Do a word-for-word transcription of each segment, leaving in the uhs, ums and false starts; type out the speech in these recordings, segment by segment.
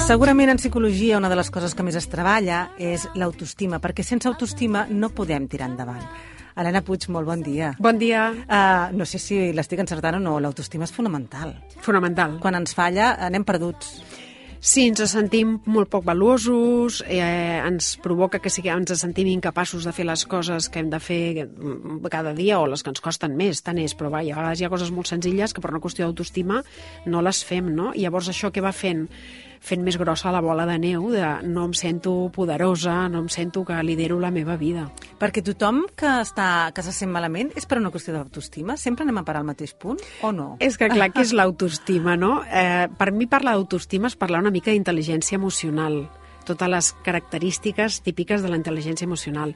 Segurament en psicologia una de les coses que més es treballa és l'autoestima, perquè sense autoestima no podem tirar endavant. Helena Puig, molt bon dia. Bon dia. Uh, no sé si l'estic encertant o no, l'autoestima és fonamental. Fonamental. Quan ens falla anem perduts. Sí, ens sentim molt poc valuosos, eh, ens provoca que sigui, ens sentim incapaços de fer les coses que hem de fer cada dia o les que ens costen més, tant és, però va, a vegades hi ha coses molt senzilles que per una qüestió d'autoestima no les fem, no? I llavors això què va fent? Fent més grossa la bola de neu de no em sento poderosa, no em sento que lidero la meva vida. Perquè tothom que, està, que se sent malament és per una qüestió d'autoestima? Sempre anem a parar al mateix punt o no? És que clar, que és l'autoestima, no? Eh, per mi parlar d'autoestima és parlar una mica d'intel·ligència emocional, totes les característiques típiques de la intel·ligència emocional.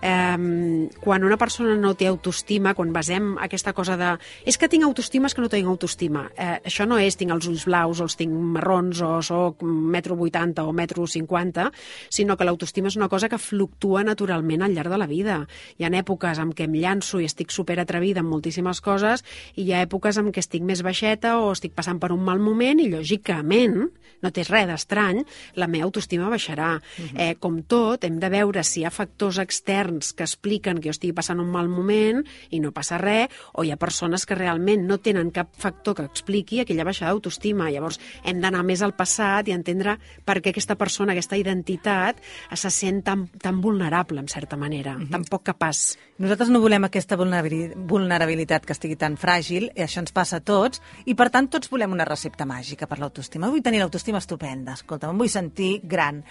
Eh, quan una persona no té autoestima, quan basem aquesta cosa de és que tinc autoestima, és que no tinc autoestima. Eh, això no és tinc els ulls blaus o els tinc marrons o soc metro vuitanta o metro cinquanta, sinó que l'autoestima és una cosa que fluctua naturalment al llarg de la vida. Hi ha èpoques en què em llanço i estic superatrevida en moltíssimes coses i hi ha èpoques en què estic més baixeta o estic passant per un mal moment i, lògicament, no té res d'estrany, la meva autoestima baixarà. Uh-huh. Eh, com tot, hem de veure si hi ha factors externs que expliquen que jo estigui passant un mal moment i no passa res, o hi ha persones que realment no tenen cap factor que expliqui aquella baixada d'autoestima. Llavors, hem d'anar més al passat i entendre per què aquesta persona, aquesta identitat, se sent tan, tan vulnerable, en certa manera, uh-huh. tan poc capaç. Nosaltres no volem aquesta vulnerabilitat que estigui tan fràgil, i això ens passa a tots, i per tant tots volem una recepta màgica per l'autoestima. Vull tenir l'autoestima estupenda, escolta, em vull sentir gran,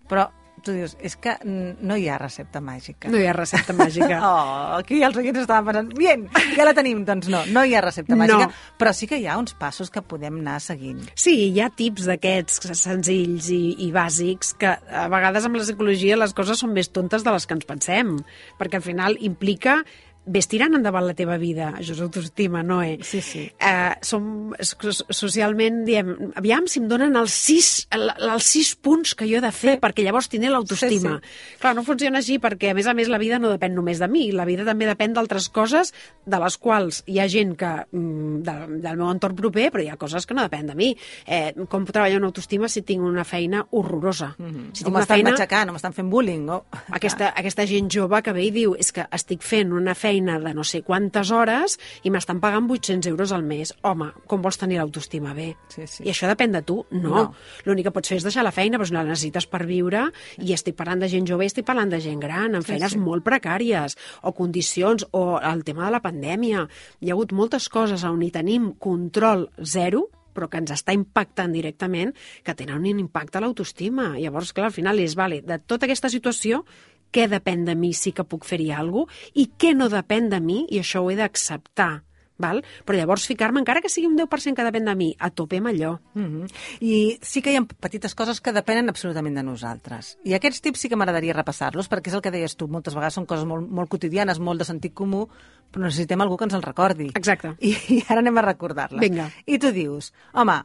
però tu dius, és que no hi ha recepta màgica. No hi ha recepta màgica. Oh, aquí els oients estaven pensant, bien, ja la tenim. Doncs no, no hi ha recepta màgica, no. Però sí que hi ha uns passos que podem anar seguint. Sí, hi ha tips d'aquests senzills i, i bàsics que a vegades amb la psicologia les coses són més tontes de les que ens pensem, perquè al final implica ves tirant endavant la teva vida. Això és autoestima, no, eh? Sí, sí. Eh, som, socialment diem, aviam si em donen els sis, el, els sis punts que jo he de fer, sí, perquè llavors tindré l'autoestima. Sí, sí. Clar, no funciona així perquè, a més a més, la vida no depèn només de mi. La vida també depèn d'altres coses de les quals hi ha gent que de, del meu entorn proper, però hi ha coses que no depèn de mi. Eh, com treballar una autoestima si tinc una feina horrorosa? Mm-hmm. Si o m'estan feina... matxacant, o m'estan fent bullying. Oh. Aquesta, aquesta gent jove que ve i diu és que estic fent una feina de no sé quantes hores i m'estan pagant vuit-cents euros al mes. Home, com vols tenir l'autoestima bé? Sí, sí. I això depèn de tu? No. no. L'únic que pots fer és deixar la feina, però si no la necessites per viure, i estic parlant de gent jove i estic parlant de gent gran, amb feines sí, sí. molt precàries, o condicions, o el tema de la pandèmia. Hi ha hagut moltes coses on hi tenim control zero, però que ens està impactant directament, que tenen un impacte a l'autoestima. Llavors, clar, al final és, vale, de tota aquesta situació, què depèn de mi, sí que puc fer-hi alguna cosa, i què no depèn de mi, i això ho he d'acceptar. Val? Però llavors ficar-me, encara que sigui un deu per cent que depèn de mi, a tope amb allò. Mm-hmm. I sí que hi ha petites coses que depenen absolutament de nosaltres. I aquests tips sí que m'agradaria repassar-los, perquè és el que deies tu, moltes vegades són coses molt, molt quotidianes, molt de sentit comú, però necessitem algú que ens el recordi. Exacte. I, i ara anem a recordar-les. Vinga. I tu dius, home,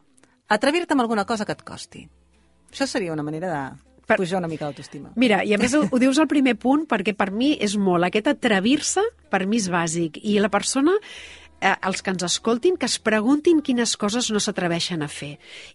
atrevir-te amb alguna cosa que et costi. Això seria una manera de... Per... pujar una mica l'autoestima. Mira, i a més ho, ho dius al primer punt perquè per mi és molt, aquest atrevir-se per mi és bàsic, i la persona eh, els que ens escoltin, que es preguntin quines coses no s'atreveixen a fer.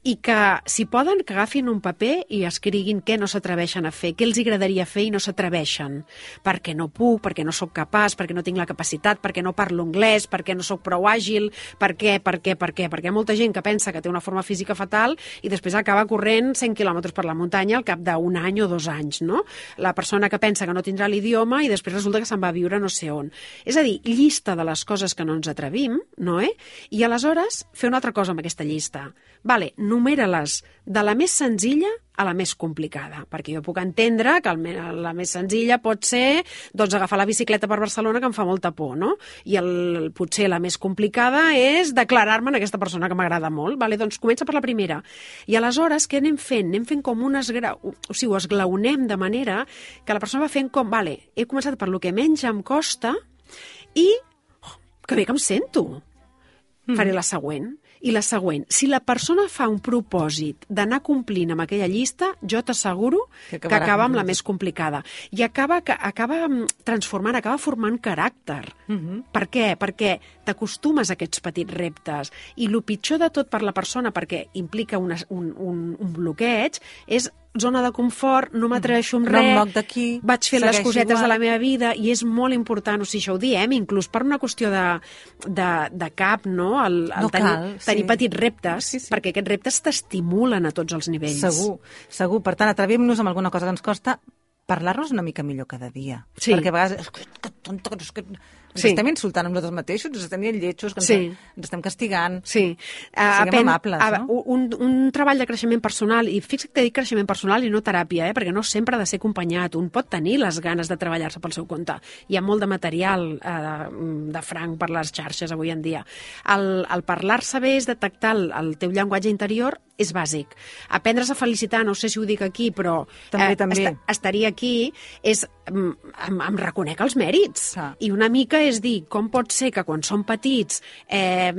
I que, si poden, que agafin un paper i escriguin què no s'atreveixen a fer, què els agradaria fer i no s'atreveixen. Perquè no puc, perquè no sóc capaç, perquè no tinc la capacitat, perquè no parlo anglès, perquè no sóc prou àgil, per què, per què, per què? Perquè hi ha molta gent que pensa que té una forma física fatal i després acaba corrent cent quilòmetres per la muntanya al cap d'un any o dos anys, no? La persona que pensa que no tindrà l'idioma i després resulta que se'n va a viure no sé on. És a dir, llista de les coses que no ens atrevim, no, eh? I aleshores fer una altra cosa amb aquesta llista. Vale, numera-les de la més senzilla a la més complicada, perquè jo puc entendre que el, la més senzilla pot ser doncs, agafar la bicicleta per Barcelona, que em fa molta por, no? I el, potser la més complicada és declarar-me en aquesta persona que m'agrada molt. Vale, doncs comença per la primera. I aleshores, què anem fent? Anem fent com un esgrau... O sigui, ho esglaonem de manera que la persona va fent com, vale, he començat per lo que menys em costa i oh, que bé que em sento. Mm. Faré la següent. I la següent, si la persona fa un propòsit d'anar complint amb aquella llista, jo t'asseguro que, que acaba amb la més complicada. I acaba, acaba transformant, acaba formant caràcter. Uh-huh. Per què? Perquè t'acostumes a aquests petits reptes. I el pitjor de tot per la persona, perquè implica una, un, un, un bloqueig, és zona de confort, no m'atreveixo amb no res, moc d'aquí, vaig fent les cosetes igual. de la meva vida, i és molt important, o sigui, això ho diem, inclús per una qüestió de, de, de cap, no? El, el no tenir, cal, tenir sí. petits reptes, sí, sí. perquè aquests reptes t'estimulen a tots els nivells. Segur, segur. Per tant, atrevim-nos amb alguna cosa que ens costa, parlar-nos una mica millor cada dia. Sí. Perquè a vegades... És que, que tonta, que és que... Ens Sí. estem insultant amb nosaltres mateixos, ens estem dient lletjos, que ens, Sí. ens estem castigant. Sí. Siguem Apen, amables, a, no? Un, un treball de creixement personal, i fixa't que dic creixement personal i no teràpia, eh? Perquè no sempre ha de ser acompanyat. Un pot tenir les ganes de treballar-se pel seu compte. Hi ha molt de material eh, de franc per les xarxes avui en dia. El, el parlar-se bé és detectar el, el teu llenguatge interior, és bàsic. Aprendre's a felicitar, no sé si ho dic aquí, però també, eh, també. Est estaria aquí, és em, em, em reconec els mèrits. Ah. I una mica és dir, com pot ser que quan som petits eh,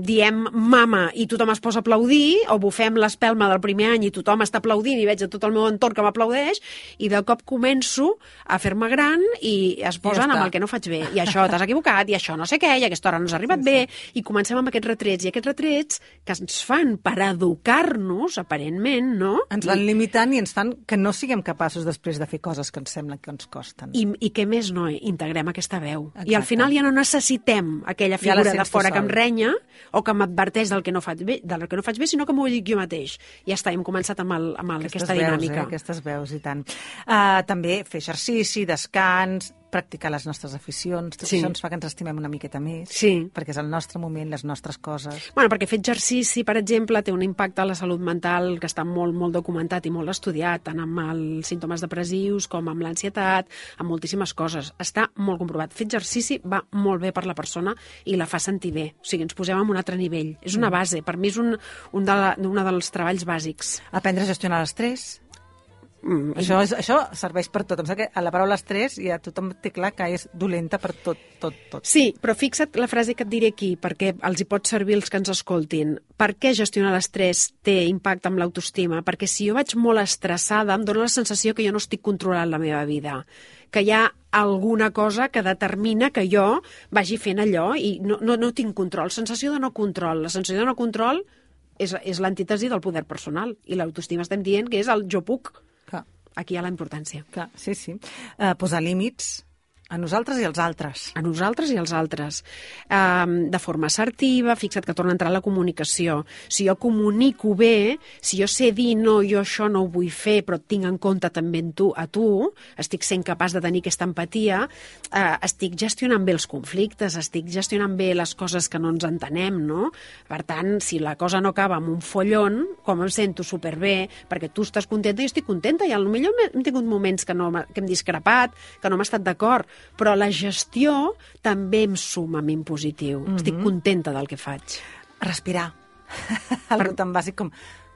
diem mama i tothom es posa a aplaudir, o bufem l'espelma del primer any i tothom està aplaudint i veig a tot el meu entorn que m'aplaudeix, i de cop començo a fer-me gran i es posen ja amb el que no faig bé. I això t'has equivocat, i això no sé què, i aquesta hora no has arribat sí, bé, sí. I comencem amb aquests retrets. I aquests retrets que ens fan per educar-nos, aparentment, no? Ens van limitant i ens fan que no siguem capaços després de fer coses que ens semblen que ens costen. I, i què més no integrem aquesta veu. Exacte. I al final ja no necessitem aquella figura ja de fora que em renya o que m'adverteix del que no faig bé, del que no faig bé, sinó que m'ho dic jo mateix. Ja està, hem començat amb, el, amb el, aquesta veus, dinàmica. Eh? Aquestes veus, i tant. Uh, també fer exercici, descans, practicar les nostres aficions, tot Sí. això ens fa que ens estimem una miqueta més, Sí. perquè és el nostre moment, les nostres coses. Bueno, perquè fer exercici, per exemple, té un impacte a la salut mental que està molt, molt documentat i molt estudiat, tant amb els símptomes depressius com amb l'ansietat, amb moltíssimes coses. Està molt comprovat. Fer exercici va molt bé per la persona i la fa sentir bé. O sigui, ens posem en un altre nivell. És una base. Per mi és un, un, de la, un dels treballs bàsics. Aprendre a gestionar l'estrès. Mm, això, és, això serveix per tot. Em sembla que a la paraula estrès ja tothom té clar que és dolenta per tot, tot, tot. Sí, però fixa't la frase que et diré aquí, perquè els hi pot servir els que ens escoltin. Per què gestionar l'estrès té impacte amb l'autoestima? Perquè si jo vaig molt estressada, em dóna la sensació que jo no estic controlant la meva vida, que hi ha alguna cosa que determina que jo vagi fent allò i no, no, no tinc control. Sensació de no control. La sensació de no control és, és l'antítesi del poder personal, i l'autoestima estem dient que és el jo puc. Clar. Aquí hi ha la importància. Clar, sí, sí. Uh, posar límits a nosaltres i als altres. A nosaltres i als altres. Um, de forma assertiva, fixa't que torna a entrar la comunicació. Si jo comunico bé, si jo sé dir no, jo això no ho vull fer, però et tinc en compte també en tu, a tu, estic sent capaç de tenir aquesta empatia, uh, estic gestionant bé els conflictes, estic gestionant bé les coses que no ens entenem, no? Per tant, si la cosa no acaba amb un follon, com em sento superbé, perquè tu estàs contenta i jo estic contenta, i potser hem tingut moments que, no, que hem discrepat, que no hem estat d'acord, però la gestió també em suma a mi en positiu. Mm-hmm. Estic contenta del que faig. Respirar. Algo tan bàsic com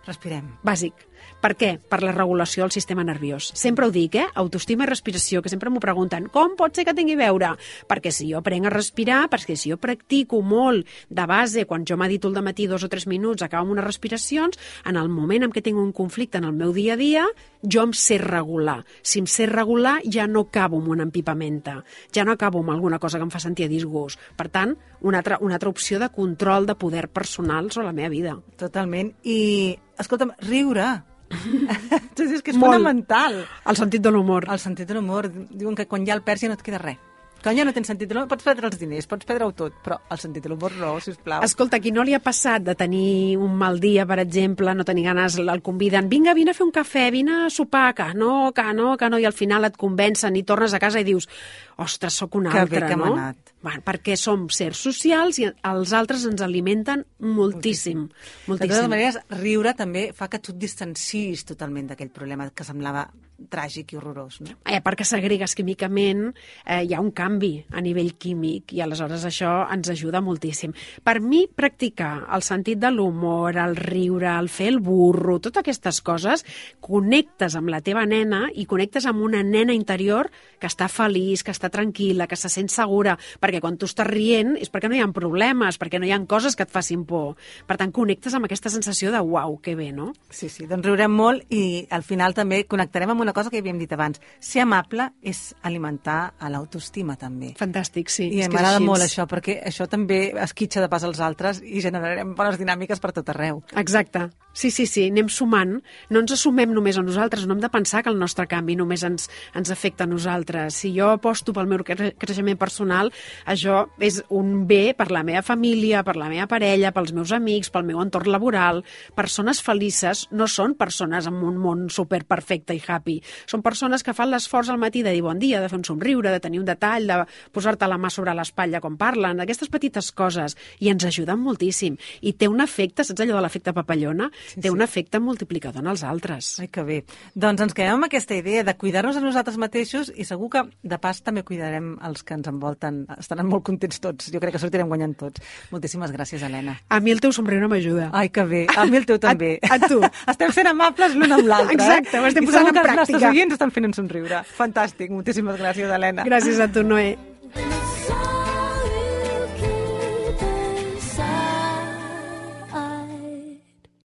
respirem. Bàsic. Per què? Per la regulació del sistema nerviós. Sempre ho dic, eh? Autoestima i respiració, que sempre m'ho pregunten. Com pot ser que tingui a veure? Perquè si jo aprenc a respirar, perquè si jo practico molt de base, quan jo medito al dematí dos o tres minuts, acabo amb unes respiracions, en el moment en què tinc un conflicte en el meu dia a dia, jo em sé regular. Si em sé regular, ja no acabo amb una empipamenta. Ja no acabo amb alguna cosa que em fa sentir a disgust. Per tant, una altra, una altra opció de control de poder personal sobre la meva vida. Totalment. I, escolta'm, riure. És que és Molt. fonamental. El sentit de l'humor. El sentit de l'humor. Diuen que quan ja el perds ja no et queda res. Quan ja no tens sentit de l'humor, pots perdre els diners, pots perdre-ho tot, però el sentit de l'humor no, sisplau. Escolta, qui no li ha passat de tenir un mal dia, per exemple, no tenir ganes, el conviden, vinga, vine a fer un cafè, vine a sopar, que no, que no, que no, i al final et convencen i tornes a casa i dius, ostres, sóc un que altre, bé que no? hem anat. Bueno, perquè som sers socials i els altres ens alimenten moltíssim. moltíssim. De totes maneres, riure també fa que tu et distancis totalment d'aquell problema que semblava tràgic i horrorós, no? Eh, perquè segregues químicament, eh, hi ha un canvi a nivell químic i aleshores això ens ajuda moltíssim. Per mi, practicar el sentit de l'humor, el riure, el fer el burro, totes aquestes coses, connectes amb la teva nena i connectes amb una nena interior que està feliç, que està tranquil·la, que se sent segura, perquè quan tu estàs rient és perquè no hi ha problemes, perquè no hi ha coses que et facin por. Per tant, connectes amb aquesta sensació de uau, que bé, no? Sí, sí, doncs riurem molt i al final també connectarem amb una cosa que havíem dit abans. Ser amable és alimentar a l'autoestima, també. Fantàstic, sí. I m'agrada molt això, perquè això també esquitxa de pas als altres i generarem bones dinàmiques per tot arreu. Exacte. Sí, sí, sí, anem sumant. No ens assumem només a nosaltres, no hem de pensar que el nostre canvi només ens, ens afecta a nosaltres. Si jo aposto pel meu cre creixement personal, això és un bé per la meva família, per la meva parella, pels meus amics, pel meu entorn laboral. Persones felices no són persones amb un món superperfecte i happy. Són persones que fan l'esforç al matí de dir bon dia, de fer un somriure, de tenir un detall, de posar-te la mà sobre l'espatlla quan parlen, aquestes petites coses, i ens ajuden moltíssim. I té un efecte, saps allò de l'efecte papallona? Sí, té sí. un efecte multiplicador en els altres. Ai, que bé. Doncs ens quedem amb aquesta idea de cuidar-nos a nosaltres mateixos i segur que, de pas, també cuidarem els que ens envolten. Estaran molt contents tots. Jo crec que sortirem guanyant tots. Moltíssimes gràcies, Helena. A mi el teu somriure m'ajuda. Ai, que bé. A mi el teu també. A, a tu. Estem sent amables l'un amb l'altre. Exacte, ho estem posant en pràctica. I segur que els nostres oients estan fent un somriure. Fantàstic. Moltíssimes gràcies, Helena. Gràcies a tu, Noé.